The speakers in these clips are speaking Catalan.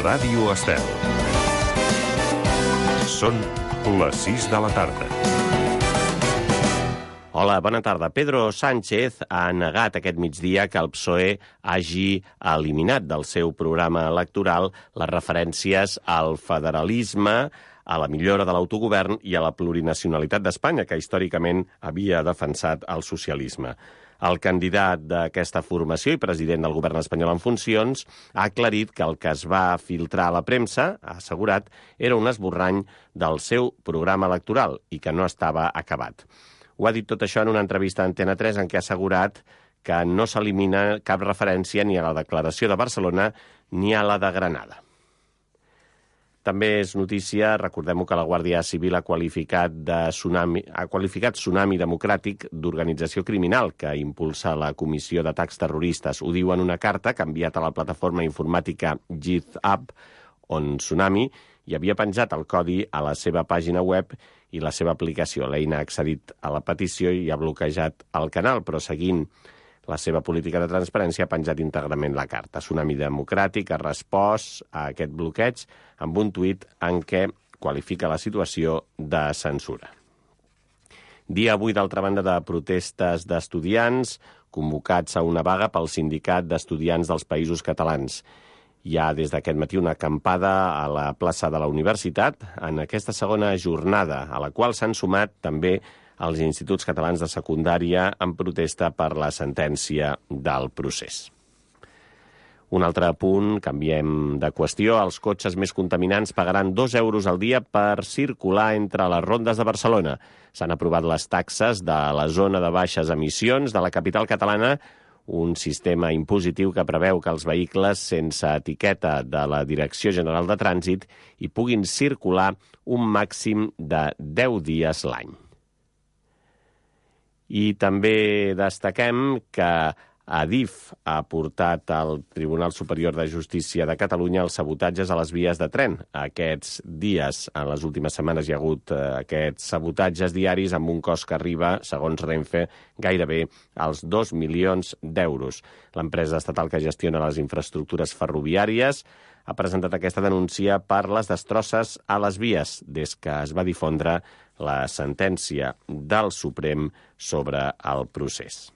Ràdio Estel. Són les 6 de la tarda. Hola, bona tarda. Pedro Sánchez ha negat aquest migdia que el PSOE hagi eliminat del seu programa electoral les referències al federalisme, a la millora de l'autogovern i a la plurinacionalitat d'Espanya, que històricament havia defensat el socialisme. El candidat d'aquesta formació i president del govern espanyol en funcions ha aclarit que el que es va filtrar a la premsa, ha assegurat, era un esborrany del seu programa electoral i que no estava acabat. Ho ha dit tot això en una entrevista a Antena 3 en què ha assegurat que no s'elimina cap referència ni a la declaració de Barcelona ni a la de Granada. També és notícia, recordem-ho, que la Guàrdia Civil ha qualificat Tsunami Democràtic d'organització criminal que impulsa la Comissió d'Atacs Terroristes. Ho diu en una carta que ha enviat a la plataforma informàtica GitHub, on Tsunami hi havia penjat el codi a la seva pàgina web i la seva aplicació. L'Eina ha accedit a la petició i ha bloquejat el canal, però seguint la seva política de transparència ha penjat íntegrament la carta. Tsunami Democràtic ha respost a aquest bloqueig amb un tuit en què qualifica la situació de censura. Dia avui, d'altra banda, de protestes d'estudiants convocats a una vaga pel Sindicat d'Estudiants dels Països Catalans. Hi ha des d'aquest matí una acampada a la plaça de la Universitat en aquesta segona jornada, a la qual s'han sumat també els instituts catalans de secundària en protesta per la sentència del procés. Un altre punt, canviem de qüestió, els cotxes més contaminants pagaran 2 euros al dia per circular entre les rondes de Barcelona. S'han aprovat les taxes de la zona de baixes emissions de la capital catalana, un sistema impositiu que preveu que els vehicles sense etiqueta de la Direcció General de Trànsit hi puguin circular un màxim de 10 dies l'any. I també destaquem que Adif ha portat al Tribunal Superior de Justícia de Catalunya els sabotatges a les vies de tren. Aquests dies, en les últimes setmanes, hi ha hagut aquests sabotatges diaris amb un cost que arriba, segons Renfe, gairebé als 2 milions d'euros. L'empresa estatal que gestiona les infraestructures ferroviàries ha presentat aquesta denúncia per les destrosses a les vies des que es va difondre la sentència del Suprem sobre el procés.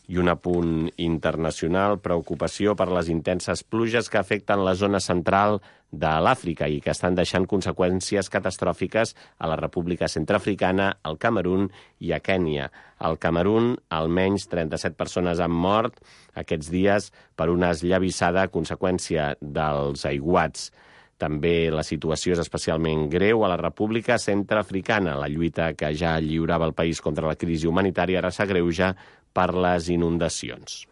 I un apunt internacional, preocupació per les intenses pluges que afecten la zona central de l'Àfrica i que estan deixant conseqüències catastròfiques a la República Centreafricana, al Camerun i a Kènia. Al Camerun, almenys 37 persones han mort aquests dies per una esllavissada a conseqüència dels aiguats. També la situació és especialment greu a la República Centreafricana. La lluita que ja lliurava el país contra la crisi humanitària ara s'agreuja per les inundacions.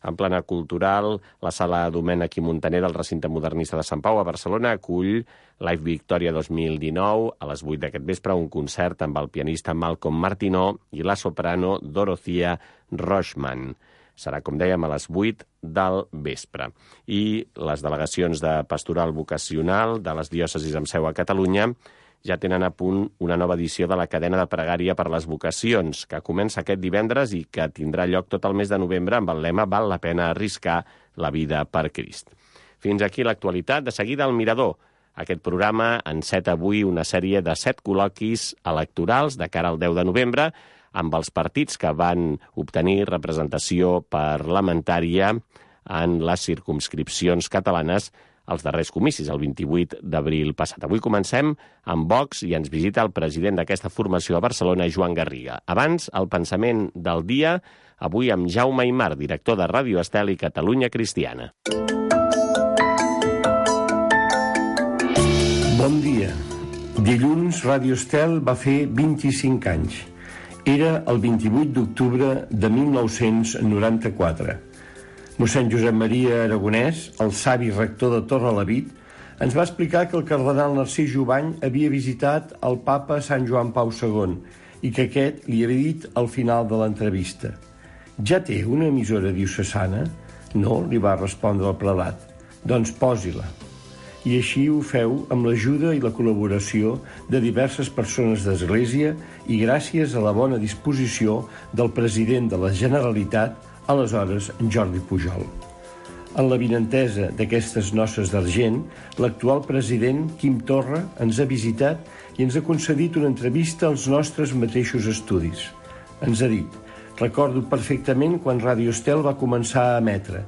En plana cultural, la sala Domènech i Montaner del recinte modernista de Sant Pau a Barcelona acull Live Victoria 2019 a les 8 d'aquest vespre, un concert amb el pianista Malcolm Martineau i la soprano Dorothea Rochman. Serà, com dèiem, a les 8 del vespre. I les delegacions de pastoral vocacional de les diòcesis amb seu a Catalunya ja tenen a punt una nova edició de la cadena de pregària per les vocacions, que comença aquest divendres i que tindrà lloc tot el mes de novembre amb el lema «Val la pena arriscar la vida per Crist». Fins aquí l'actualitat. De seguida, El Mirador. Aquest programa enceta avui una sèrie de 7 col·loquis electorals de cara al 10 de novembre amb els partits que van obtenir representació parlamentària en les circumscripcions catalanes als darrers comicis, el 28 d'abril passat. Avui comencem amb Vox i ens visita el president d'aquesta formació a Barcelona, Joan Garriga. Abans, el pensament del dia, avui amb Jaume Aymar, director de Ràdio Estel i Catalunya Cristiana. Bon dia. Dilluns, Ràdio Estel va fer 25 anys. Era el 28 d'octubre de 1994. Mossèn Josep Maria Aragonès, el savi rector de Torrelavit, ens va explicar que el cardenal Narcís Jubany havia visitat el papa Sant Joan Pau II i que aquest li havia dit al final de l'entrevista: «Ja té una emissora diocesana?» «No», li va respondre el prelat. «Doncs posi-la». I així ho feu amb l'ajuda i la col·laboració de diverses persones d'Església i gràcies a la bona disposició del president de la Generalitat, aleshores Jordi Pujol. En la vinentesa d'aquestes noces d'argent, l'actual president, Quim Torra, ens ha visitat i ens ha concedit una entrevista als nostres mateixos estudis. Ens ha dit: recordo perfectament quan Ràdio Estel va començar a emetre.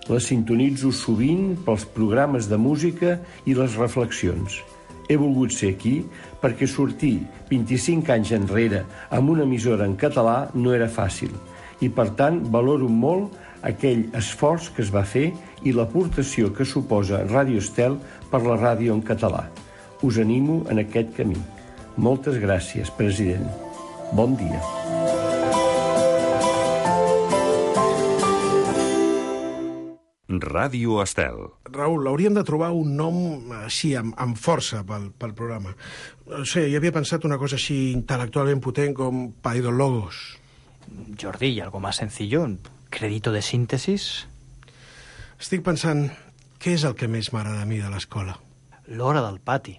La sintonitzo sovint pels programes de música i les reflexions. He volgut ser aquí perquè sortir 25 anys enrere amb una emissora en català no era fàcil i, per tant, valoro molt aquell esforç que es va fer i l'aportació que suposa Ràdio Estel per la ràdio en català. Us animo en aquest camí. Moltes gràcies, president. Bon dia. Ràdio Estel. Raül, hauríem de trobar un nom així, amb força pel programa. No sé, jo havia pensat una cosa així intel·lectualment potent com Paidologos. Jordi, ¿y algo más sencillo? ¿Crédito de síntesis? Estic pensant, què és el que més m'agrada a mi de l'escola? L'hora del pati.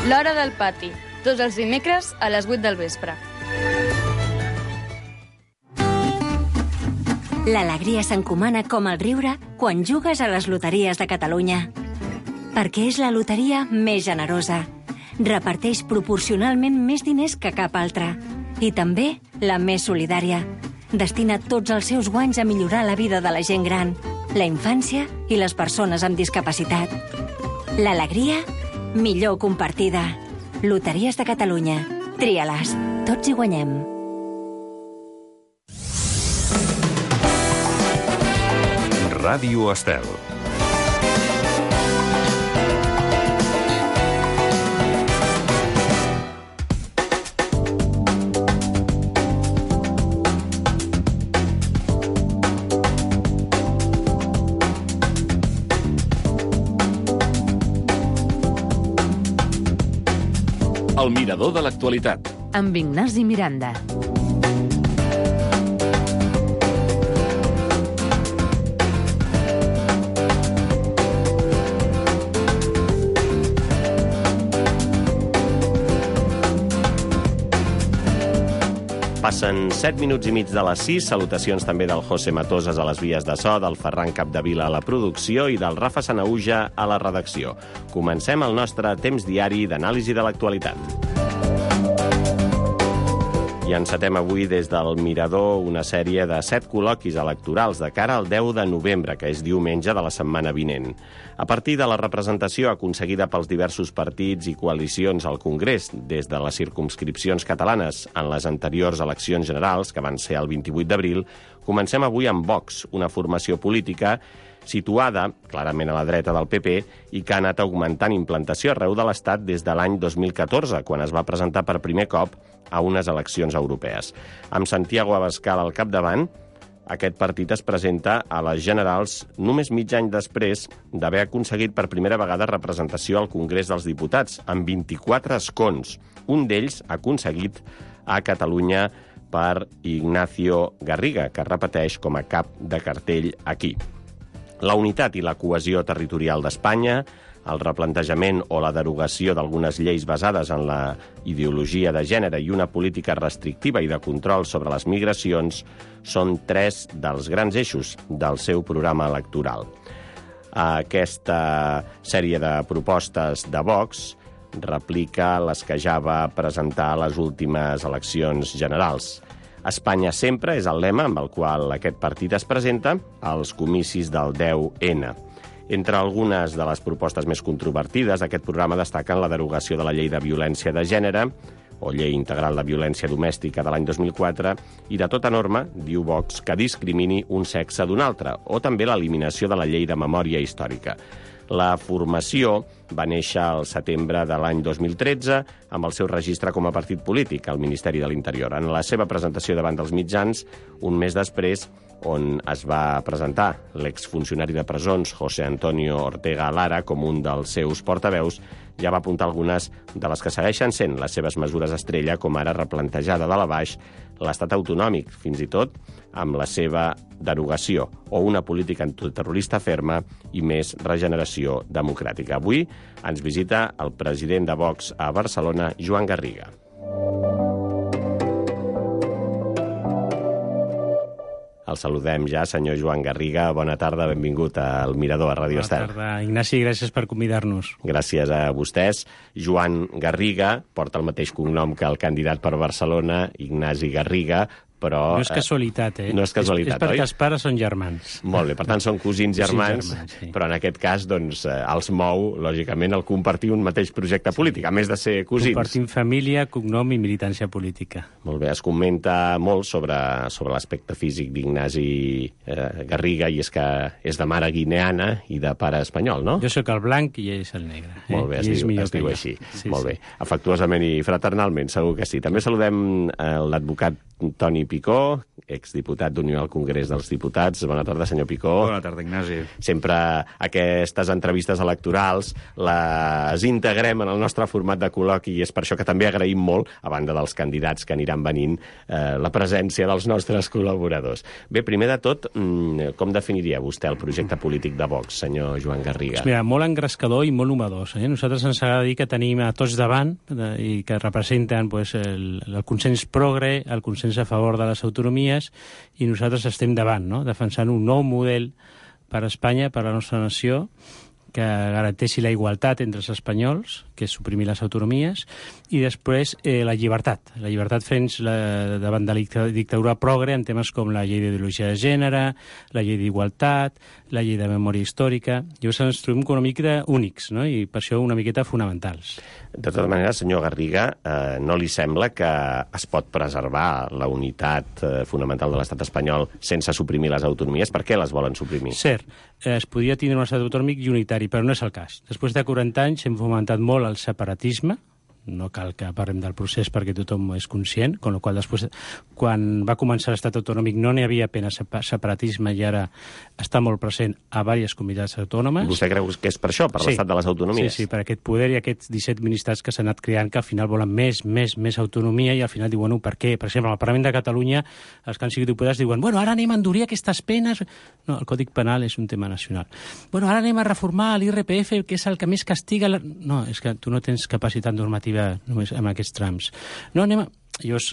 L'hora del pati, tots els dimecres a les 8 del vespre. L'alegria s'encomana com el riure quan jugues a les loteries de Catalunya. Perquè és la loteria més generosa. Reparteix proporcionalment més diners que cap altra. I també la més solidària. Destina tots els seus guanys a millorar la vida de la gent gran, la infància i les persones amb discapacitat. L'alegria, millor compartida. Loteries de Catalunya. Tria-les. Tots hi guanyem. Ràdio Estel. El mirador de l'actualitat. Amb Ignasi Miranda. Passen 7 minuts i mig de les 6. Salutacions també del José Matoses a les vies de so, del Ferran Capdevila a la producció i del Rafa Sanauja a la redacció. Comencem el nostre temps diari d'anàlisi de l'actualitat. I encetem avui des del Mirador una sèrie de 7 col·loquis electorals de cara al 10 de novembre, que és diumenge de la setmana vinent. A partir de la representació aconseguida pels diversos partits i coalicions al Congrés des de les circumscripcions catalanes en les anteriors eleccions generals, que van ser el 28 d'abril, comencem avui amb Vox, una formació política situada clarament a la dreta del PP i que ha anat augmentant implantació arreu de l'Estat des de l'any 2014, quan es va presentar per primer cop a unes eleccions europees. Amb Santiago Abascal al capdavant, aquest partit es presenta a les generals només mig any després d'haver aconseguit per primera vegada representació al Congrés dels Diputats, amb 24 escons. Un d'ells aconseguit a Catalunya per Ignacio Garriga, que repeteix com a cap de cartell aquí. La unitat i la cohesió territorial d'Espanya, el replantejament o la derogació d'algunes lleis basades en la ideologia de gènere i una política restrictiva i de control sobre les migracions són 3 dels grans eixos del seu programa electoral. Aquesta sèrie de propostes de Vox replica les que ja va presentar a les últimes eleccions generals. Espanya sempre és el lema amb el qual aquest partit es presenta als comicis del 10N. Entre algunes de les propostes més controvertides d'aquest programa destaquen la derogació de la llei de violència de gènere o llei integral de violència domèstica de l'any 2004 i de tota norma, diu Vox, que discrimini un sexe d'un altre, o també l'eliminació de la llei de memòria històrica. La formació va néixer al setembre de l'any 2013 amb el seu registre com a partit polític al Ministeri de l'Interior. En la seva presentació davant dels mitjans, un mes després, on es va presentar l'exfuncionari de presons José Antonio Ortega Lara com un dels seus portaveus, ja va apuntar algunes de les que segueixen sent les seves mesures estrella, com ara replantejada de la baix l'estat autonòmic, fins i tot amb la seva derogació, o una política antiterrorista ferma i més regeneració democràtica. Avui ens visita el president de Vox a Barcelona, Joan Garriga. El saludem ja, senyor Joan Garriga. Bona tarda, benvingut al Mirador, a Ràdio Estel. Bona tarda, Ignasi, gràcies per convidar-nos. Gràcies a vostès. Joan Garriga porta el mateix cognom que el candidat per Barcelona, Ignasi Garriga, però... No és casualitat, No és casualitat, és perquè els pares són germans. Molt bé, per tant són cosins germans, sí. Però en aquest cas doncs, els mou, lògicament, el compartir un mateix projecte polític, a més de ser cosins. Compartim família, cognom i militància política. Molt bé, es comenta molt sobre l'aspecte físic d'Ignasi Garriga, i és que és de mare guineana i de pare espanyol, no? Jo sóc el blanc i ell és el negre. Molt bé, es diu així. Sí, molt bé, afectuosament i fraternalment, segur que sí. També saludem l'advocat Toni Picó, exdiputat d'Unió al Congrés dels Diputats. Bona tarda, senyor Picó. Bona tarda, Ignasi. Sempre aquestes entrevistes electorals les integrem en el nostre format de col·loqui i és per això que també agraïm molt, a banda dels candidats que aniran venint, la presència dels nostres col·laboradors. Bé, primer de tot, com definiria vostè el projecte polític de Vox, senyor Joan Garriga? Mira, molt engrescador i molt novedós. Nosaltres ens agrada dir que tenim a tots davant i que representen el consens progre, el consens a favor de les autonomies, i nosaltres estem davant, no? Defensant un nou model per a Espanya, per a la nostra nació, que garanteixi la igualtat entre els espanyols, que és suprimir les autonomies, i després la llibertat. La llibertat davant de la dictadura progre en temes com la llei d'ideologia de gènere, la llei d'igualtat, la llei de memòria històrica. Llavors ens trobem una miqueta únics, no? I per això una miqueta fonamentals. De tota manera, senyor Garriga, no li sembla que es pot preservar la unitat fonamental de l'estat espanyol sense suprimir les autonomies? Per què les volen suprimir? Cert, es podria tenir un estat autonòmic i unitari, però no és el cas. Després de 40 anys hem fomentat molt el separatisme, no cal que parlem del procés perquè tothom és conscient, amb la qual cosa després, quan va començar l'estat autonòmic no n'hi havia apenas separatisme i ara està molt present a diverses comunitats autònomes. Vostè creu que és per això, per l'estat de les autonomies? Sí, per aquest poder i aquests 17 ministres que s'han anat creant que al final volen més autonomia i al final diuen, per què? Per exemple, al Parlament de Catalunya els que han sigut diputats diuen, ara anem a endurir aquestes penes. No, el Còdic Penal és un tema nacional. Ara anem a reformar l'IRPF, que és el que més castiga... No, és que tu no tens capacitat normativa només amb aquests trams. No, Llavors,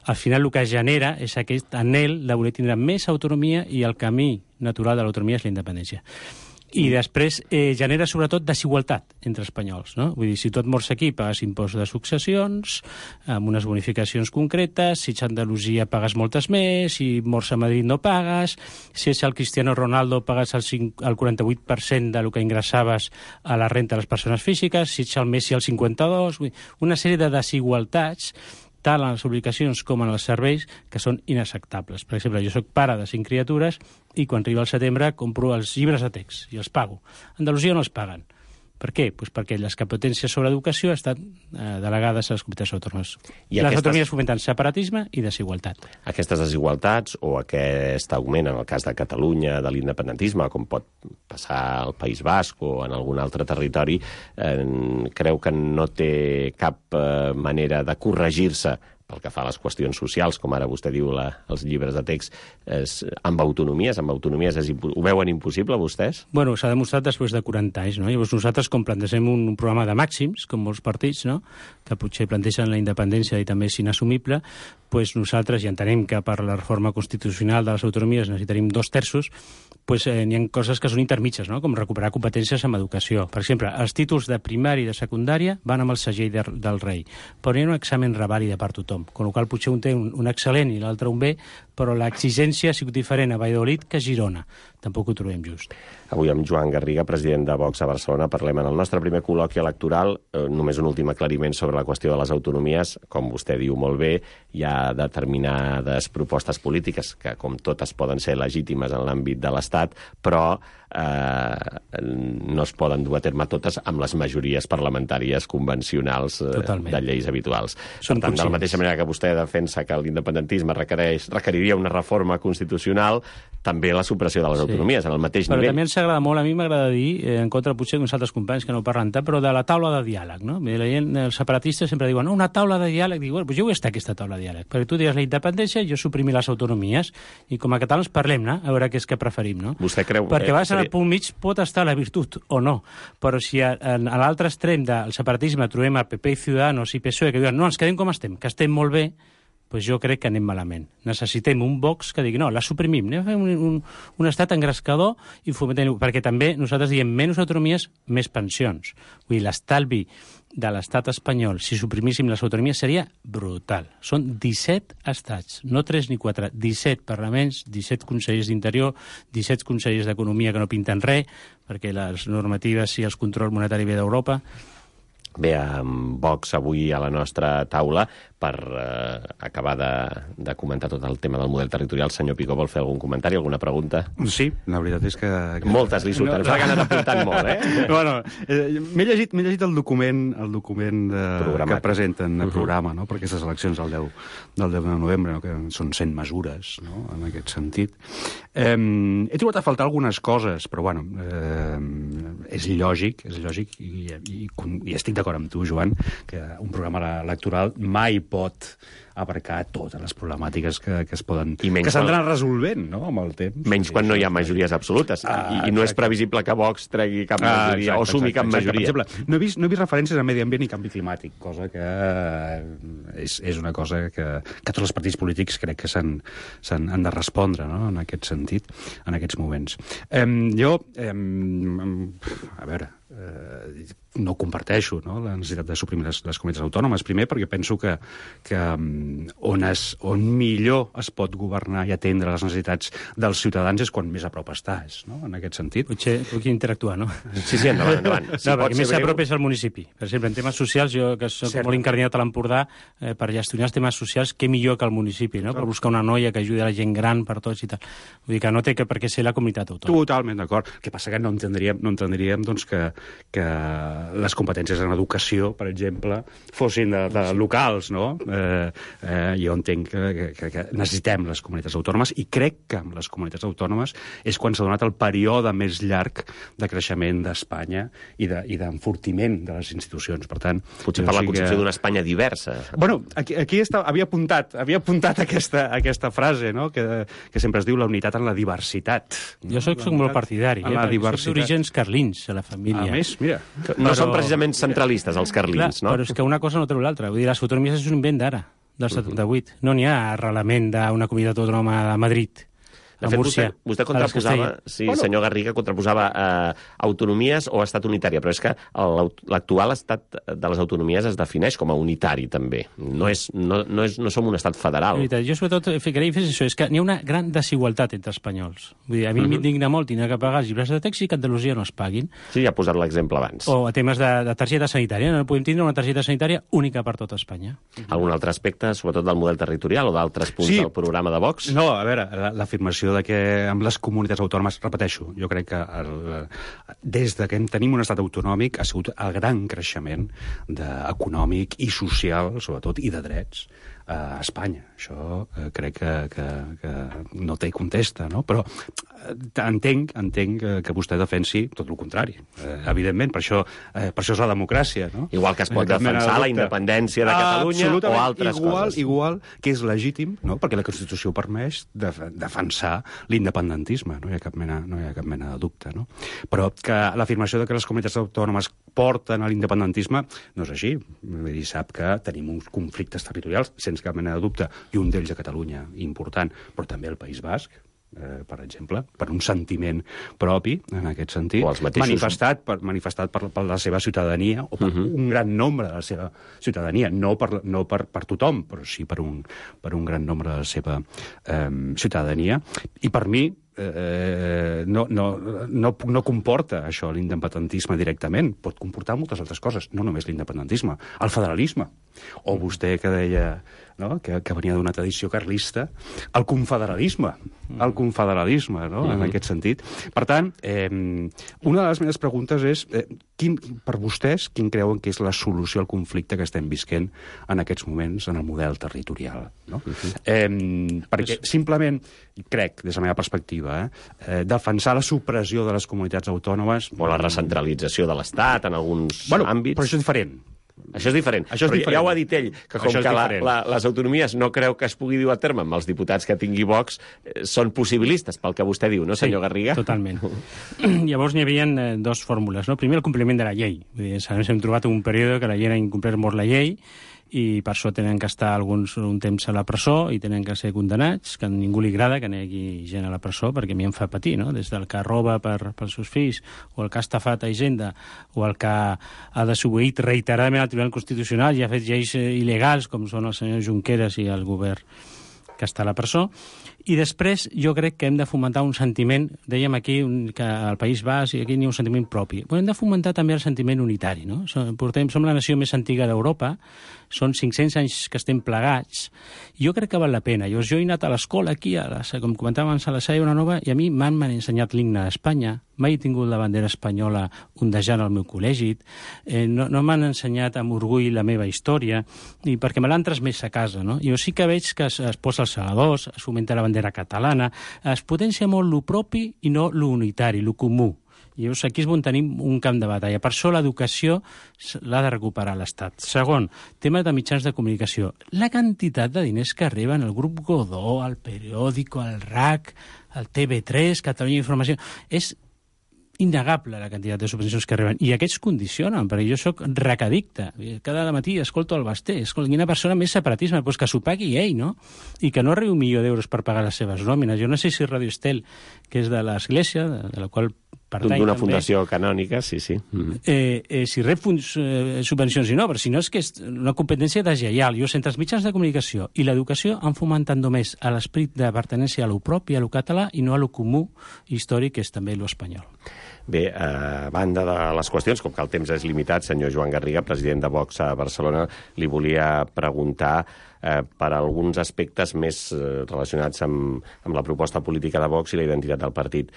al final el que genera és aquest anhel de voler tindre més autonomia i el camí natural de l'autonomia és la independència. I després genera sobretot desigualtat entre espanyols, no? Vull dir, si tu et mors aquí pagues impost de successions, amb unes bonificacions concretes, si ets a Andalusia pagues moltes més, si mors a Madrid no pagues, si ets el Cristiano Ronaldo pagues el 48% del que ingressaves a la renta de les persones físiques, si ets el Messi el 52%, vull dir, una sèrie de desigualtats tant en les obligacions com en els serveis, que són inacceptables. Per exemple, jo soc pare de 5 criatures i quan arriba el setembre compro els llibres de text i els pago. A Andalusia no els paguen. Per què? Pues perquè les competències sobre educació estan delegades a les comunitats autònomes. Les autonomies fomenten separatisme i desigualtat. Aquestes desigualtats o aquest augment en el cas de Catalunya de l'independentisme, com pot passar al País Basc o en algun altre territori, creu que no té cap manera de corregir-se pel que fa a les qüestions socials, com ara vostè diu els llibres de text, amb autonomies ho veuen impossible, vostès? Bueno, s'ha demostrat després de 40 anys, no? Llavors nosaltres, com plantegem un programa de màxims, com molts partits, no?, que potser plantegen la independència i també és inassumible, doncs nosaltres, i entenem que per la reforma constitucional de les autonomies necessitaríem 2/3, doncs n'hi ha coses que són intermitges, no?, com recuperar competències en educació. Per exemple, els títols de primària i de secundària van amb el segell del rei, però hi ha un examen revàlida per tothom, amb la qual potser un té un excel·lent i l'altre un B, però l'exigència ha sigut diferent a Valladolid que a Girona. Tampoc ho trobem just. Avui amb Joan Garriga, president de Vox a Barcelona, parlem en el nostre primer col·loqui electoral. Només un últim aclariment sobre la qüestió de les autonomies. Com vostè diu molt bé, hi ha determinades propostes polítiques que, com totes, poden ser legítimes en l'àmbit de l'Estat, però no es poden dur a terme totes amb les majories parlamentàries convencionals de lleis habituals. Per tant, de la mateixa manera que vostè defensa que l'independentisme requeriria una reforma constitucional, també la supressió de les autonomies, en el mateix nivell. Però també ens agrada molt, a mi m'agrada dir, en contra potser d'uns altres companys que no parlen tant, però de la taula de diàleg, no? La gent, els separatistes sempre diuen, una taula de diàleg, dic, bueno, jo vull estar aquesta taula de diàleg, perquè tu digues la independència, jo suprimir les autonomies, i com a catalans parlem, no? A veure què és que preferim, no? Vostè creu... Perquè vas al punt mig pot estar la virtut o no, però si a l'altre extrem del separatisme trobem el PP i Ciudadanos i PSOE que diuen no, ens quedem com estem, que estem molt bé, pues jo crec que anem malament. Necessitem un Vox que digui, no, la suprimim, anem a fer un estat engrescador i fomentem... Perquè també nosaltres diem menys autonomies, més pensions. Vull dir, l'estalvi de l'estat espanyol, si suprimíssim les autonomies, seria brutal. Són 17 estats, no 3 ni 4, 17 parlaments, 17 consellers d'Interior, 17 consellers d'Economia que no pinten res, perquè les normatives i el control monetari ve d'Europa. Bé, amb Vox avui a la nostra taula per acabar de comentar tot el tema del model territorial. Senyor Picó, vol fer algun comentari, alguna pregunta? Sí, la veritat és que... Moltes li surten, s'ha anat apuntant molt, eh? Bueno, m'he llegit el document que presenten el programa, no?, per aquestes eleccions del 10 de novembre, no?, que són 100 mesures, no?, en aquest sentit. He trobat a faltar algunes coses, però, bueno, és lògic, i estic d'acord amb tu, Joan, que un programa electoral mai pot abarcar totes les problemàtiques que es poden... que s'han resolvent, no?, amb el temps. Menys quan no hi ha majories absolutes. I no és previsible que Vox tregui cap majoria o sumi cap majoria. Per exemple, no he vist referències a medi ambient i canvi climàtic, cosa que és una cosa que tots els partits polítics crec que han de respondre, no?, en aquest sentit, en aquests moments. A veure, no comparteixo, no?, la necessitat de suprimir les comunitats autònomes. Primer, perquè penso que on millor es pot governar i atendre les necessitats dels ciutadans és quan més a prop estàs, no?, en aquest sentit. Potser puc interactuar, no? Sí, endavant. Perquè més a prop és el municipi. Per exemple, en temes socials, jo que soc molt incarnat a l'Empordà, per gestionar els temes socials, què millor que el municipi, no?, per buscar una noia que ajudi a la gent gran per tots i tal. Vull dir que no té per què ser la comunitat autònoma. Totalment d'acord. El que passa que no entendríem doncs, que les competències en educació, per exemple, fossin de locals, no? Jo entenc que necessitem les comunitats autònomes i crec que amb les comunitats autònomes és quan s'ha donat el període més llarg de creixement d'Espanya i d'enfortiment de les institucions. Per tant, potser per la concepció d'una Espanya diversa. Bueno, aquí havia apuntat aquesta frase, no?, que sempre es diu la unitat en la diversitat. Jo soc molt partidari, soc d'orígens carlins, a la família. A més, mira... No són precisament centralistes, els carlins, no? Però és que una cosa no treu l'altra. Vull dir, les autonomies és un invent d'ara, del 78. No n'hi ha arrelament d'una comunitat autònoma de Madrid. De fet, vostè contraposava, senyor Garriga, contraposava autonomies o estat unitari, però és que l'actual estat de les autonomies es defineix com a unitari, també. No som un estat federal. Jo, sobretot, ficaria això, és que n'hi ha una gran desigualtat entre espanyols. Vull dir, a mi m'indigna molt tenir que pagar els llibres de text i que a Andalusia no es paguin. Sí, ja ha posat l'exemple abans. O a temes de targeta sanitària. No podem tindre una targeta sanitària única per tota Espanya. Algun altre aspecte, sobretot del model territorial o d'altres punts del programa de Vox? No, a veure, l'afirmació de que amb les comunitats autònomes, repeteixo, jo crec que des que tenim un estat autonòmic ha sigut el gran creixement econòmic i social, sobretot, i de drets a Espanya. Això crec que no té contesta, no? Però entenc que vostè defensi tot el contrari, evidentment, per això és la democràcia, no? Igual que es pot defensar la independència de Catalunya o altres coses. Igual que és legítim, no?, perquè la Constitució permet defensar l'independentisme, no hi ha cap mena de dubte, no? Però que l'afirmació de que les comunitats autònomes porten a l'independentisme no és així. Vull dir, sap que tenim uns conflictes territorials, sense cap mena de dubte, i un d'ells a Catalunya important, però també al País Basc, per exemple, per un sentiment propi, en aquest sentit, manifestat per la seva ciutadania, o per un gran nombre de la seva ciutadania, no per tothom, però sí per un gran nombre de la seva ciutadania. I per mi, no comporta això l'independentisme directament, pot comportar moltes altres coses, no només l'independentisme, el federalisme, o vostè que deia, no?, que venia d'una tradició carlista, el confederalisme, no?, en aquest sentit. Per tant, una de les meves preguntes és, per vostès, quin creuen que és la solució al conflicte que estem visquent en aquests moments en el model territorial, no? Perquè simplement, crec, des de la meva perspectiva, defensar la supressió de les comunitats autònomes... O la recentralització de l'Estat en alguns àmbits... Però això és diferent. Això és diferent. Però ja ho ha dit ell, que com que les autonomies no creu que es pugui dur a terme amb els diputats que tingui Vox, són possibilistes, pel que vostè diu, no, senyor Garriga? Sí, totalment. Llavors n'hi havia dues fórmules, no? Primer, el compliment de la llei. Vull dir, hem trobat un període que la llei ha incomplert molt la llei, i per això tenen que estar alguns un temps a la presó i tenen que ser condenats, que a ningú li agrada que negui gent a la presó, perquè a mi em fa patir, no? Des del que roba pels seus fills, o el que ha estafat a Hisenda, o el que ha desobeït reiteradament al Tribunal Constitucional i ha fet lleis il·legals, com són el senyor Junqueras i el govern que està a la presó. I després jo crec que hem de fomentar un sentiment, dèiem aquí que al País Basc i aquí n'hi ha un sentiment propi, però hem de fomentar també el sentiment unitari, no? Som la nació més antiga d'Europa, són 500 anys que estem plegats, i jo crec que val la pena. Jo he anat a l'escola aquí, com comentàvem abans, a la Salla Nova, i a mi m'han ensenyat l'himne d'Espanya, mai he tingut la bandera espanyola ondejant al meu col·legi, no m'han ensenyat amb orgull la meva història, i perquè me l'han transmès a casa, no? Jo sí que veig que es posa els segadors, es fomenta la bandera catalana, es potencia molt lo propi i no lo unitari, lo comú. I llavors aquí és on tenim un camp de batalla. Per això l'educació l'ha de recuperar l'Estat. Segon, tema de mitjans de comunicació. La quantitat de diners que arriben al grup Godó, al Periódico, al RAC, al TV3, Catalunya Informació, és innegable la quantitat de subvencions que arriben. I aquests condicionen, perquè jo sóc recadicte. Cada matí escolto el Basté. Quina persona més separatisme? Doncs que s'ho pagui ell, no? I que no arribi $1.000.000 per pagar les seves nòmines. Jo no sé si Radio Estel, que és de l'Església, de la qual pertany d'una també, fundació canònica, sí. Si rep subvencions i no, però si no és que és una competència deslleial. Jo, entre els mitjans de comunicació i l'educació han fomentat només a l'esperit de pertenència a lo propi, a lo català, i no a lo comú històric, que és també lo espanyol. Bé, a banda de les qüestions, com que el temps és limitat, senyor Joan Garriga, president de Vox a Barcelona, li volia preguntar per alguns aspectes més relacionats amb la proposta política de Vox i la identitat del partit.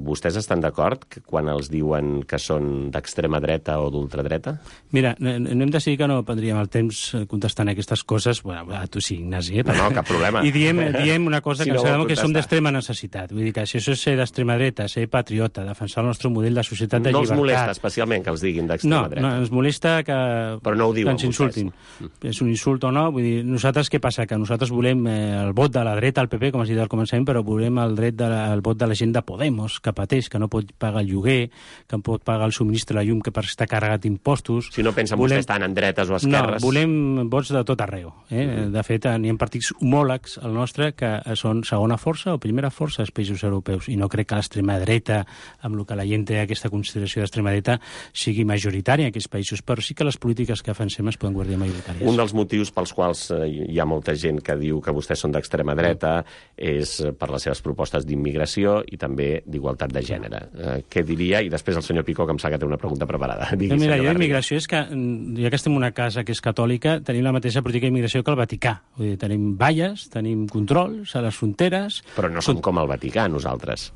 Vostès estan d'acord quan els diuen que són d'extrema dreta o d'ultradreta? Mira, no hem decidit que no prendríem el temps contestant aquestes coses. Bueno, tu sí, Ignasi. No, cap problema. I diem una cosa, si que no sabem que som d'extrema necessitat. Vull dir que si això és ser d'extrema dreta, ser patriota, defensar el nostre model de societat de llibertat... No els molesta especialment que els diguin d'extrema dreta? No, ens molesta que ens insultin. És un insult o no? Vull dir, nosaltres què passa? Que nosaltres volem el vot de la dreta al PP, com has dit al començament, però volem el vot de la gent de Podemos, que pateix, que no pot pagar el lloguer, que no pot pagar el subministre de la llum, que està carregat d'impostos. Si no pensen vostès tant en dretes o esquerres... No, volem vots de tot arreu. De fet, n'hi ha partits homòlegs al nostre que són segona força o primera força als països europeus, i no crec que l'extrema dreta, amb el que la gent té aquesta consideració d'extrema dreta, sigui majoritària en aquests països, però sí que les polítiques que defensem es poden guardar majoritàries. Un dels motius pels quals hi ha molta gent que diu que vostès són d'extrema dreta és per les seves propostes d'immigració i també d'igualtat de gènere. Què diria? I després el senyor Picó, que em sap que té una pregunta preparada. Mira, jo d'immigració és que, ja que estem en una casa que és catòlica, tenim la mateixa política d'immigració que el Vaticà. Vull dir, tenim valles, tenim controls a les fronteres... Però no som com el Vaticà, nosaltres.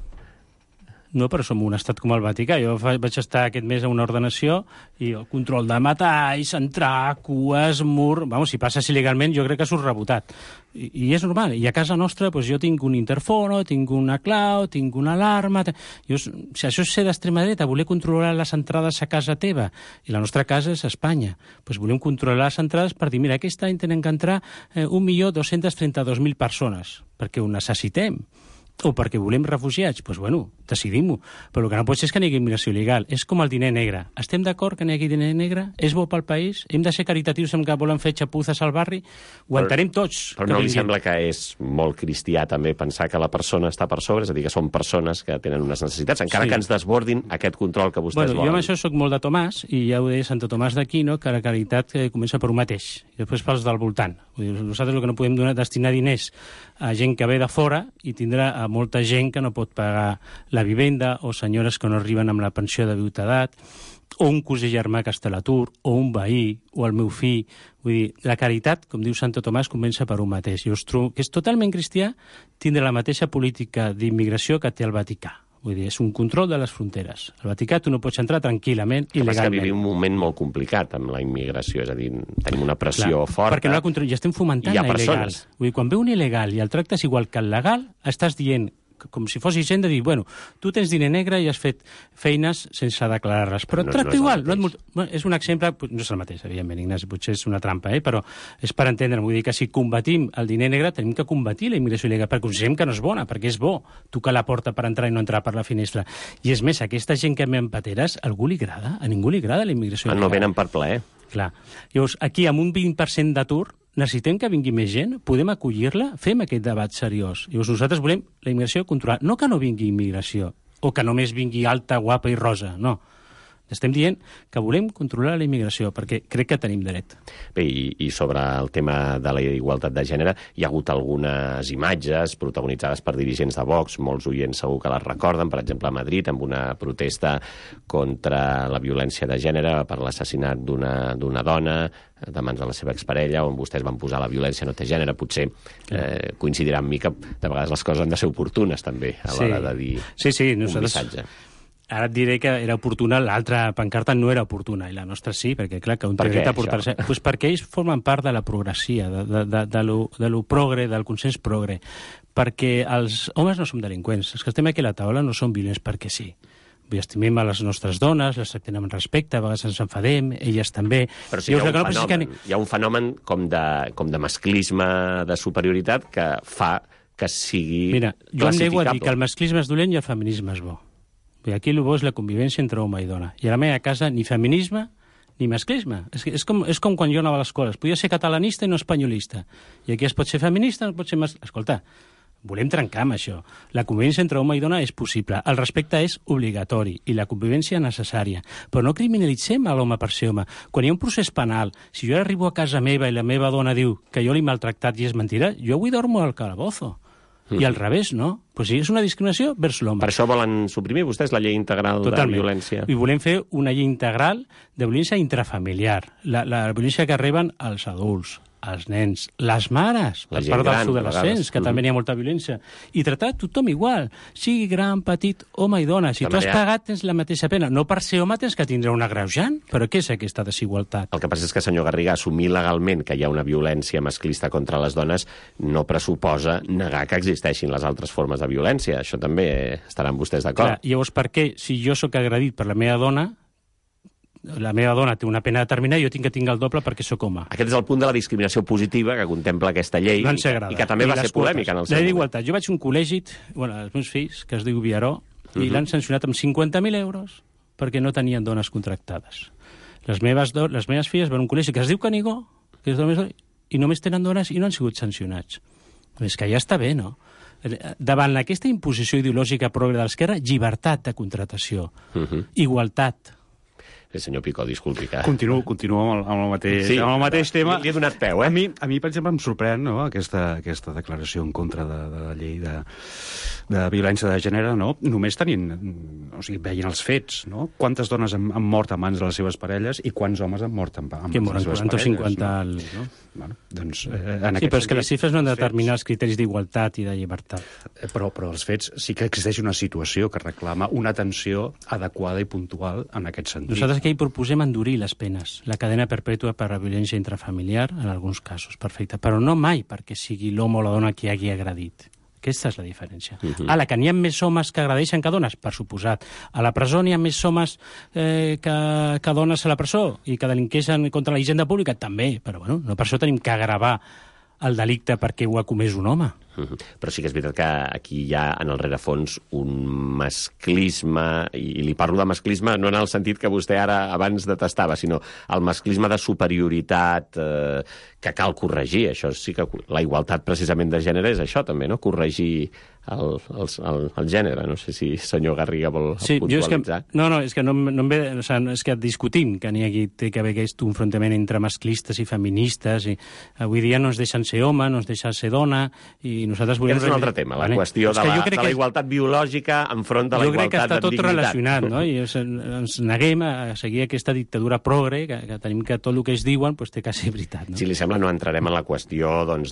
No, però som un estat com el Vaticà. Jo vaig estar aquest mes a una ordenació i el control de metalls, entrar, cues, mur... Vamos, si passes il·legalment, jo crec que surt rebotat. I és normal. I a casa nostra doncs, jo tinc un interfono, tinc una clau, tinc una alarma... Si això és ser d'extrema dreta, voler controlar les entrades a casa teva, i la nostra casa és Espanya, doncs volem controlar les entrades per dir, mira, aquest any tenen que entrar 1.232.000 persones, perquè ho necessitem. O perquè volem refugiats, doncs bueno, decidim-ho. Però el que no pot ser és que n'hi hagi immigració il·legal. És com el diner negre. Estem d'acord que n'hi hagi diner negre? És bo pel país? Hem de ser caritatius amb que volen fer xapuzes al barri? Ho entenem tots. Però no li sembla que és molt cristià també pensar que la persona està per sobre? És a dir, que són persones que tenen unes necessitats, encara que ens desbordin aquest control que vostès volen. Jo amb això soc molt de Tomàs, i ja ho deia Santo Tomàs d'Aquino, que la caritat comença per un mateix, i després pels del voltant. Nosaltres el que no podem destinar diners a gent que ve de fora i tindrà a molta gent que no pot pagar la vivenda, o senyores que no arriben amb la pensió de viudetat, o un cosí germà que està a l'atur, o un veí, o el meu fill. Vull dir, la caritat, com diu Santo Tomàs, comença per un mateix. Jo trobo que és totalment cristià tindre la mateixa política d'immigració que té el Vaticà. Vull dir, és un control de les fronteres. Al Vaticà tu no pots entrar tranquil·lament, il·legalment. És que vivim un moment molt complicat amb la immigració, és a dir, tenim una pressió forta. Perquè no la ja estem fomentant la il·legal. Vull dir, quan ve un il·legal i el tractes igual que el legal, estàs dient com si fos gent de dir, bueno, tu tens diner negre i has fet feines sense declarar-les, però et tracta igual. És un exemple, no és el mateix, evidentment, Ignasi, potser és una trampa, però és per entendre, vull dir que si combatim el diner negre tenim que combatir la immigració il·legal, perquè considerem que no és bona, perquè és bo tocar la porta per entrar i no entrar per la finestra. I és més, aquesta gent que ve amb pateres, a algú li agrada? A ningú li agrada la immigració il·legal. No venen per plaer. Clar. Llavors, aquí, amb un 20% d'atur, necessitem que vingui més gent? Podem acollir-la? Fem aquest debat seriós. Llavors, nosaltres volem la immigració controlada. No que no vingui immigració, o que només vingui alta, guapa i rosa, no. Estem dient que volem controlar la immigració, perquè crec que tenim dret. Bé, i sobre el tema de la igualtat de gènere, hi ha hagut algunes imatges protagonitzades per dirigents de Vox, molts oients segur que les recorden, per exemple a Madrid, amb una protesta contra la violència de gènere per l'assassinat d'una dona de mans de la seva exparella, on vostès van posar la violència no té gènere. Potser coincidirà amb mi que de vegades les coses han de ser oportunes, també, a l'hora de dir un missatge. Ara et diré que era oportuna, l'altra pancarta no era oportuna, i la nostra sí, perquè clar, que un té dret a portar-se... Pues perquè ells formen part de la progressia, de lo progre, del consens progre, perquè els homes no som delinqüents, els que estem aquí a la taula no som violents perquè sí. Estimem a les nostres dones, les tractem amb respecte, a vegades ens enfadem, elles també... Però sí, hi ha un fenomen com de masclisme, de superioritat, que fa que sigui Mira, jo em nego a dir que el masclisme és dolent i el feminisme és bo. Aquí el bo és la convivència entre home i dona. I a la meva casa ni feminisme ni masclisme. És com quan jo anava a l'escola. Es podia ser catalanista i no espanyolista. I aquí es pot ser feminista, no es pot ser masclista. Escolta, volem trencar amb això. La convivència entre home i dona és possible. El respecte és obligatori i la convivència necessària. Però no criminalitzem a l'home per ser home. Quan hi ha un procés penal, si jo arribo a casa meva i la meva dona diu que jo l'he maltractat i és mentida, jo avui dormo al calabozo. I al revés, no? Pues sí, és una discriminació vers l'home. Per això volen suprimir vostès la llei integral de violència. I volem fer una llei integral de violència intrafamiliar. La violència que reben els adults, els nens, les mares, per part dels adolescents, que també hi ha molta violència, i tractar tothom igual, sigui gran, petit, home i dona. Si tu has pagat, tens la mateixa pena. No per ser home tens que tindre un agreujant, però què és aquesta desigualtat? El que passa és que, senyor Garriga, assumir legalment que hi ha una violència masclista contra les dones no pressuposa negar que existeixin les altres formes de violència. Això també estaran vostès d'acord. Llavors, per què, si jo sóc agredit per la meva dona té una pena determinada i jo tinc que tinguer el doble perquè sóc home. Aquest és el punt de la discriminació positiva que contempla aquesta llei i que també va ser polèmica en el seu moment. La d'igualtat. Jo vaig a un col·legi, els meus fills, que es diu Viaró, i l'han sancionat amb 50.000 euros perquè no tenien dones contractades. Les meves filles van a un col·legi que es diu Canigó, que és i només tenen dones i no han sigut sancionats. És que ja està bé, no? Davant aquesta imposició ideològica progre de l'esquerra, llibertat de contratació, igualtat. Senyor Picó, disculpi que... Continuo amb el mateix tema. Li he donat peu, eh? A mi, per exemple, em sorprèn aquesta declaració en contra de la llei de violència de gènere, no? Només tenint... O sigui, veient els fets, no? Quantes dones han mort a mans de les seves parelles i quants homes han mort a mans de les seves parelles. 40 o 50... No? Bueno, doncs, sí, però és que les xifres no han de determinar els criteris d'igualtat i de llibertat. Però els fets sí que existeix una situació que reclama una atenció adequada i puntual en aquest sentit. Nosaltres que hi proposem endurir les penes, la cadena perpètua per a violència intrafamiliar, en alguns casos, perfecte, però no mai perquè sigui l'home o la dona qui hagi agredit. Aquesta és la diferència. Ara, que n'hi ha més homes que agredeixen que dones, per suposat. A la presó n'hi ha més homes que dones a la presó i que delinqueixen contra la hisenda pública, també, però bueno, no per això tenim que agravar el delicte perquè ho ha comès un home. Però sí que és veritat que aquí hi ha en el rerefons un masclisme, i li parlo de masclisme no en el sentit que vostè ara abans detestava, sinó el masclisme de superioritat que cal corregir. Això sí que la igualtat precisament de gènere és això també, no? Corregir el gènere. No sé si senyor Garriga vol puntualitzar. És que no em ve... És que discutim que té que haver aquest enfrontament entre masclistes i feministes, i avui dia no ens deixen ser home, no ens deixen ser dona, i nosaltres volem... Aquest és un altre tema, la qüestió de la igualtat biològica enfront de la igualtat de dignitat. Jo crec que està tot relacionat, no? I ens neguem a seguir aquesta dictadura progre, que tenim que tot el que ells diuen té que ser veritat, no? Si li sembla, no entrarem en la qüestió del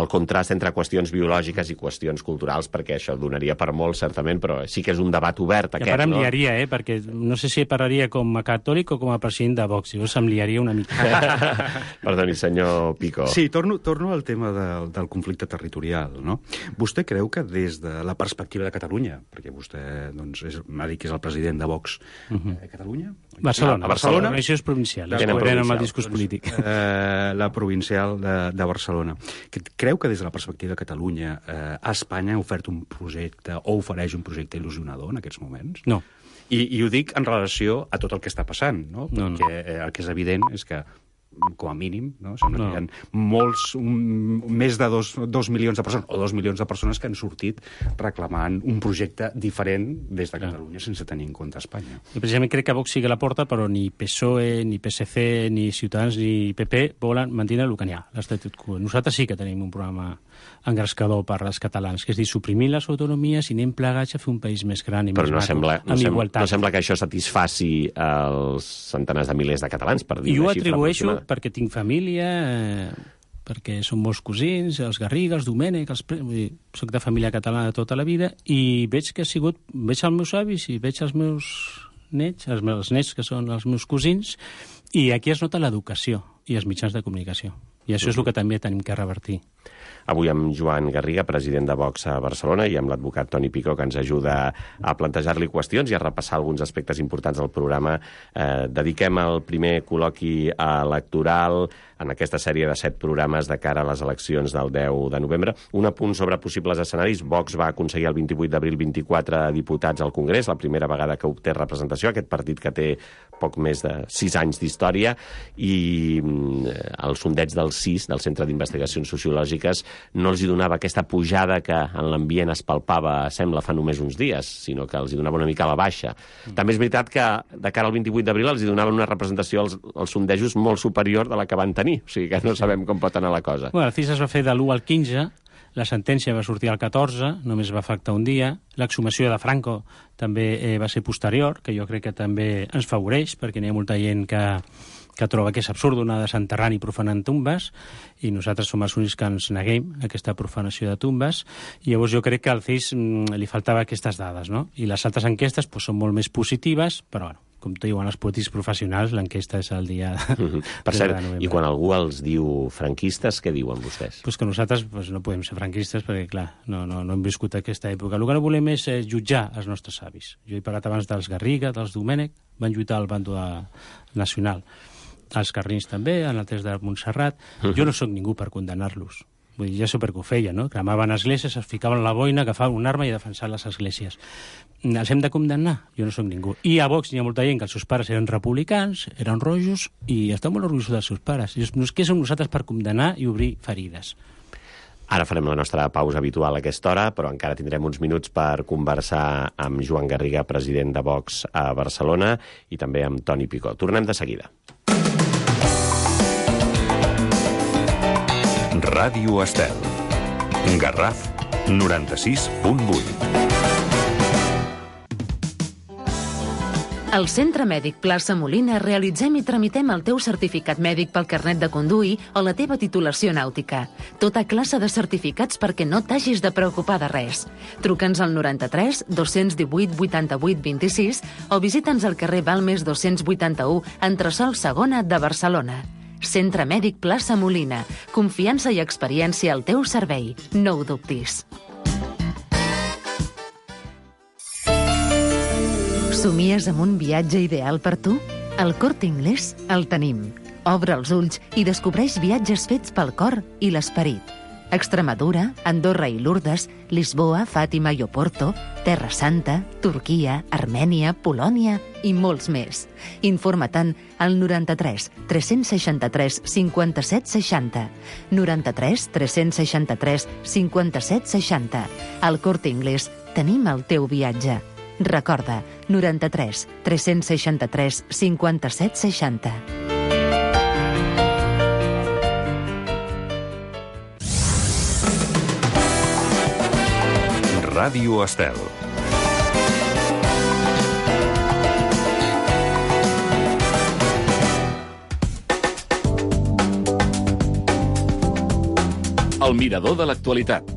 contrast entre qüestions biològiques i qüestions culturals, perquè això donaria per molt, certament, però sí que és un debat obert, aquest, no? I a part em liaria, perquè no sé si parlaria com a catòlic o com a president de Vox, llavors em liaria una mica. Perdoni, senyor Picó. Sí, torno el tema del conflicte territorial, no? Vostè creu que des de la perspectiva de Catalunya, perquè vostè m'ha dit que és el president de Vox a Catalunya? Barcelona. A Barcelona. Això és provincial. Tenen amb el discurs polític. La provincial de Barcelona. Creu que des de la perspectiva de Catalunya Espanya ha ofert un projecte o ofereix un projecte il·lusionador en aquests moments? No. I ho dic en relació a tot el que està passant, no? Perquè el que és evident és que com a mínim, no? Sembla que hi ha més de 2 milions de persones, o 2 milions de persones que han sortit reclamant un projecte diferent des de Catalunya sense tenir en compte Espanya. I precisament crec que Vox sigue a la porta, però ni PSOE, ni PSC, ni Ciutadans, ni PP volen mantenir el que n'hi ha, l'estatus quo. Nosaltres sí que tenim un programa engrescador per als catalans, que és dir, suprimir les autonomies i anem plegats a fer un país més gran i més maco, amb igualtat. No sembla que això satisfaci els centenars de milers de catalans, per dir una xifra atribueixo aproximada. Perquè tinc família, perquè són molts cosins, els Garriga, els Domènech, soc de família catalana de tota la vida, i veig que veig els meus avis i veig els meus nets, els nets que són els meus cosins, i aquí es nota l'educació i els mitjans de comunicació. I això és el que també tenim que revertir. Avui amb Joan Garriga, president de Vox a Barcelona, i amb l'advocat Toni Picó, que ens ajuda a plantejar-li qüestions i a repassar alguns aspectes importants del programa. Dediquem el primer col·loqui electoral en aquesta sèrie de 7 programes de cara a les eleccions del 10 de novembre. Un apunt sobre possibles escenaris. Vox va aconseguir el 28 d'abril 24 diputats al Congrés, la primera vegada que obté representació, aquest partit que té poc més de 6 anys d'història, i el sondeig del CIS, del Centre d'Investigacions Sociològiques, no els hi donava aquesta pujada que en l'ambient es palpava, sembla, fa només uns dies, sinó que els hi donava una mica a la baixa. També és veritat que de cara al 28 d'abril els hi donaven una representació als sondejos molt superior de la que van tenir, o sigui que no sabem com pot anar la cosa. Bueno, el CIS es va fer de l'1 al 15, la sentència va sortir al 14, només va afectar un dia, l'exhumació de Franco també va ser posterior, que jo crec que també ens favoreix, perquè n'hi ha molta gent que troba que és absurd anar desenterrant i profanant tumbes, i nosaltres som els únics que ens neguem a aquesta profanació de tumbes, i llavors jo crec que al CIS li faltava aquestes dades, no? I les altres enquestes són molt més positives, però bueno, com diuen els polítics professionals, l'enquesta és el dia per cert, de novembre. I quan algú els diu franquistes, què diuen vostès? Pues que nosaltres no podem ser franquistes perquè, clar, no hem viscut aquesta època. El que no volem és jutjar els nostres avis. Jo he parlat abans dels Garriga, dels Domènech, van lluitar al bando nacional. Els Carrins també, en el test de Montserrat. Jo no sóc ningú per condemnar-los. Vull dir, ja sé per què ho feien, no? Cremaven esglésies, es ficaven la boina, agafaven una arma i defensaven les esglésies. Els hem de condemnar? Jo no sóc ningú. I a Vox hi ha molta gent que els seus pares eren republicans, eren rojos, i estan molt orgullosos dels seus pares. Què som nosaltres per condemnar i obrir ferides? Ara farem la nostra pausa habitual a aquesta hora, però encara tindrem uns minuts per conversar amb Joan Garriga, president de Vox a Barcelona, i també amb Toni Picó. Tornem de seguida. Ràdio Estel. Garraf 96.8. Al Centre Mèdic Plaça Molina realitzem i tramitem el teu certificat mèdic pel carnet de conduir o la teva titulació nàutica. Tota classe de certificats perquè no t'hagis de preocupar de res. Truca'ns al 93 218 88 26 o visita'ns al carrer Balmes 281, entresòl segona de Barcelona. Centre Mèdic Plaça Molina. Confiança i experiència al teu servei. No ho dubtis. Somies amb un viatge ideal per tu? Al Corte Inglés el tenim. Obre els ulls i descobreix viatges fets pel cor i l'esperit. Extremadura, Andorra i Lourdes, Lisboa, Fàtima i Oporto, Terra Santa, Turquia, Armènia, Polònia i molts més. Informa-te'n al 93 363 57 60. 93 363 57 60. Al Corte Inglés tenim el teu viatge. Recorda, 93 363 57 60. Ràdio Estel. El mirador de l'actualitat.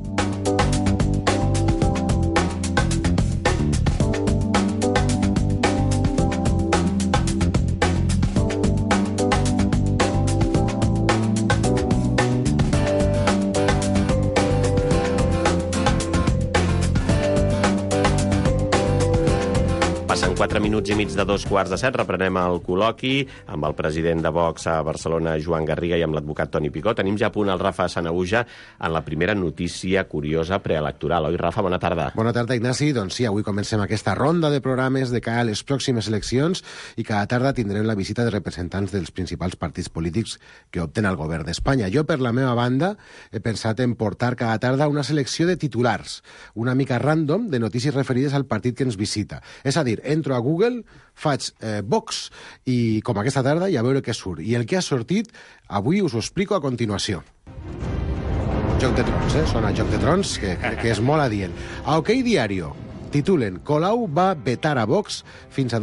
4 minuts i mig de 2:15. Reprenem el col·loqui amb el president de Vox a Barcelona, Joan Garriga, i amb l'advocat Toni Picó. Tenim ja a punt el Rafa Sanahuja en la primera notícia curiosa preelectoral. Oi, Rafa? Bona tarda. Bona tarda, Ignasi. Doncs sí, avui comencem aquesta ronda de programes de cara a les pròximes eleccions i cada tarda tindrem la visita de representants dels principals partits polítics que opten al govern d'Espanya. Jo, per la meva banda, he pensat en portar cada tarda una selecció de titulars, una mica random, de notícies referides al partit que ens visita. És a dir, entro a Google, faig Vox i, com aquesta tarda, i a veure què surt. I el que ha sortit, avui us ho explico a continuació. Joc de Trons, sona Joc de Trons, que és molt adient. A OK Diario titulen Colau va vetar a Vox fins a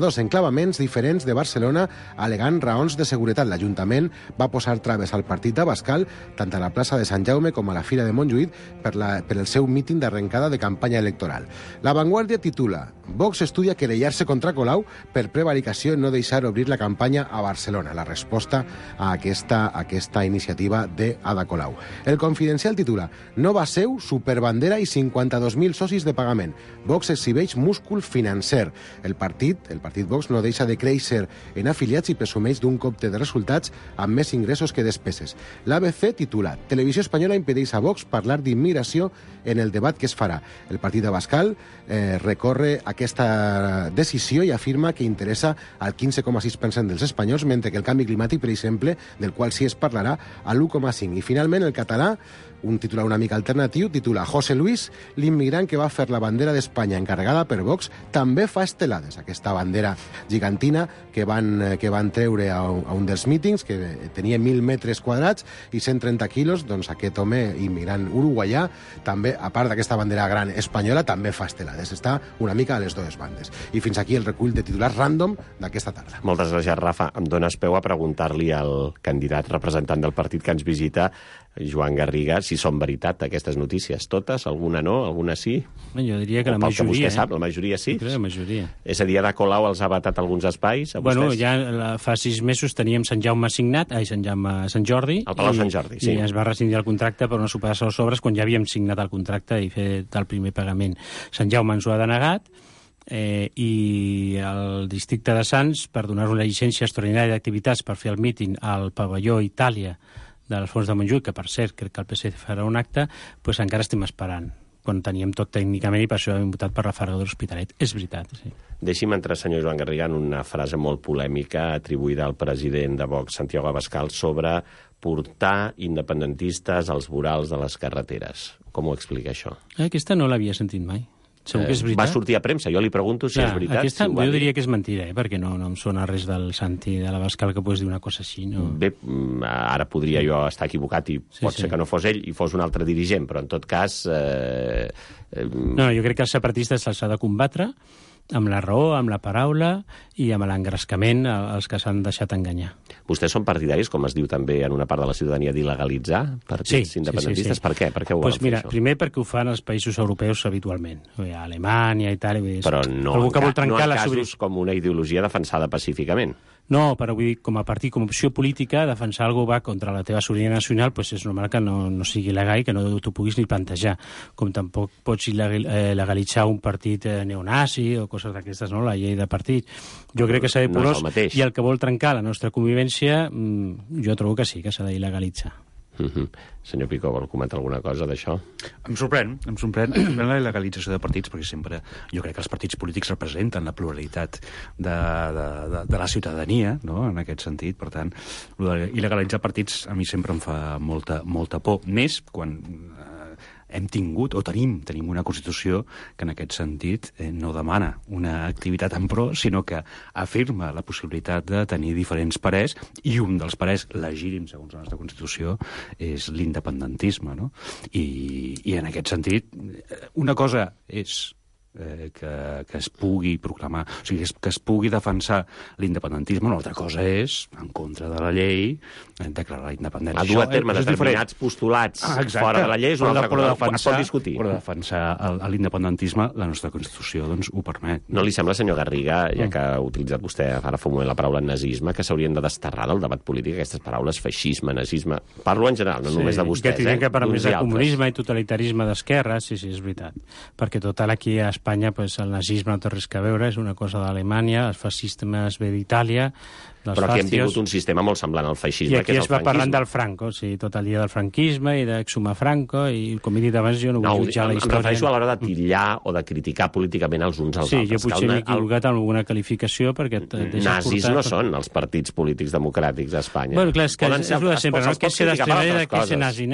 dos enclavaments diferents de Barcelona alegant raons de seguretat. L'Ajuntament va posar traves al partit d'Abascal tant a la plaça de Sant Jaume com a la Fira de Montjuïc per el seu míting d'arrencada de campanya electoral. La Vanguardia titula Vox estudia querellar-se contra Colau per prevaricació i no deixar obrir la campanya a Barcelona. La resposta a aquesta iniciativa d'Ada Colau. El Confidencial titula Nova seu, superbandera i 52.000 socis de pagament. Vox exhibeix múscul financer. El partit Vox no deixa de créixer en afiliats i presumeix d'un compte de resultats amb més ingressos que despeses. L'ABC titula Televisió Espanyola impedeix a Vox parlar d'immigració en el debat que es farà. El partit d'Abascal recorre aquesta decisió i afirma que interessa al 15,6% dels espanyols, mentre que el canvi climàtic, per exemple, del qual sí es parlarà, a l'1,5%. I finalment el català, un titular una mica alternatiu, titula José Luis, l'immigrant que va fer la bandera d'Espanya encarregada per Vox, també fa estelades. Aquesta bandera gigantina que van treure a un dels mítings, que tenia 1.000 metres quadrats i 130 quilos, doncs aquest home immigrant uruguaià, també, a part d'aquesta bandera gran espanyola, també fa estelades. Està una mica a les dues bandes. I fins aquí el recull de titulars random d'aquesta tarda. Moltes gràcies, Rafa. Em dones peu a preguntar-li al candidat representant del partit que ens visita, Joan Garriga, si són veritat aquestes notícies. Totes? Alguna no? Alguna sí? Jo diria que la majoria. Que vostè sap, la majoria sí? Crec que la majoria. És a dir, Ada Colau els ha vetat alguns espais a vostès? Bueno, ja fa 6 mesos teníem Sant Jaume signat, Sant Jordi. El Palau Sant Jordi, sí. I es va rescindir el contracte per una superació de les obres quan ja havíem signat el contracte i fet el primer pagament. Sant Jaume ens ho ha denegat, i el districte de Sants, per donar una llicència extraordinària d'activitats per fer el míting al pavelló Itàlia de les Fonts de Montjuïc, que per cert crec que el PSC farà un acte, doncs encara estem esperant, quan teníem tot tècnicament i per això hem votat per la Farga de l'Hospitalet. És veritat, sí. Deixi'm entrar, senyor Joan Garriga, en una frase molt polèmica atribuïda al president de Vox, Santiago Abascal, sobre portar independentistes als vorals de les carreteres. Com ho explica, això? Aquesta no l'havia sentit mai. Segur que és veritat. Va sortir a premsa, jo li pregunto si és veritat. Aquesta, jo diria que és mentida, perquè no em sona res del Santi de l'Abascal que pogués dir una cosa així. No? Bé, ara podria jo estar equivocat i pot ser que no fos ell i fos un altre dirigent, però en tot cas... No, jo crec que els separatistes se'ls ha de combatre amb la raó, amb la paraula i amb l'engrescament als que s'han deixat enganyar. Vostès són partidaris, com es diu també en una part de la ciutadania, d'il·legalitzar partits independentistes? Sí. Per què? Per què ho volen fer, això? Primer perquè ho fan els països europeus habitualment. A Alemanya i tal. Però no en casos com una ideologia defensada pacíficament. No, però vull dir, com a partit, com a opció política, defensar algú va contra la teva sobirania nacional, doncs és normal que no sigui legal i que no t'ho puguis ni plantejar. Com tampoc pots legalitzar un partit neonazi o coses d'aquestes, no? La llei de partit. Jo crec que s'ha de porós, i el que vol trencar la nostra convivència, jo trobo que sí, que s'ha d'il·legalitzar. Senyor Picó, vol comentar alguna cosa d'això? Em sorprèn la il·legalització de partits, perquè sempre jo crec que els partits polítics representen la pluralitat de la ciutadania, no?, en aquest sentit. Per tant, il·legalitzar partits a mi sempre em fa molta por, més quan hem tingut o tenim una Constitució que en aquest sentit no demana una activitat en pro, sinó que afirma la possibilitat de tenir diferents parers, i un dels parers legítims, segons la nostra Constitució, és l'independentisme, no? I en aquest sentit, una cosa és que es pugui proclamar, o sigui, que es pugui defensar l'independentisme, una altra cosa és, en contra de la llei, declarar la independència. A dur a terme determinats postulats fora de la llei és una altra cosa, es pot discutir. Però defensar l'independentisme, la nostra Constitució doncs ho permet. No li sembla, senyor Garriga, ja que ha utilitzat vostè ara fa un moment la paraula nazisme, que s'haurien de desterrar del debat polític aquestes paraules, feixisme, nazisme, parlo en general, no només de vostès. Que tindrien que parlar més de comunisme i totalitarisme d'esquerra, sí, és veritat. Perquè total aquí a Espanya Espanya pues, el nazisme no té res a veure, és una cosa d'Alemanya, el fascisme ve d'Itàlia, però aquí hem tingut un sistema molt semblant al feixisme, i aquí que és es el va franquisme. parlant del Franco, sí, tot el dia del franquisme i d'exhumar Franco, i com he dit abans, jo no vull jutjar la història. Em refereixo a l'hora de titllar o de criticar políticament els uns als altres. Sí, jo potser m'he equivocat en alguna qualificació perquè et deixes nazis portar... no són els partits polítics democràtics a Espanya. Bueno, clar, és que és el de sempre, no? Què ser d'estrangera, què ser nazi?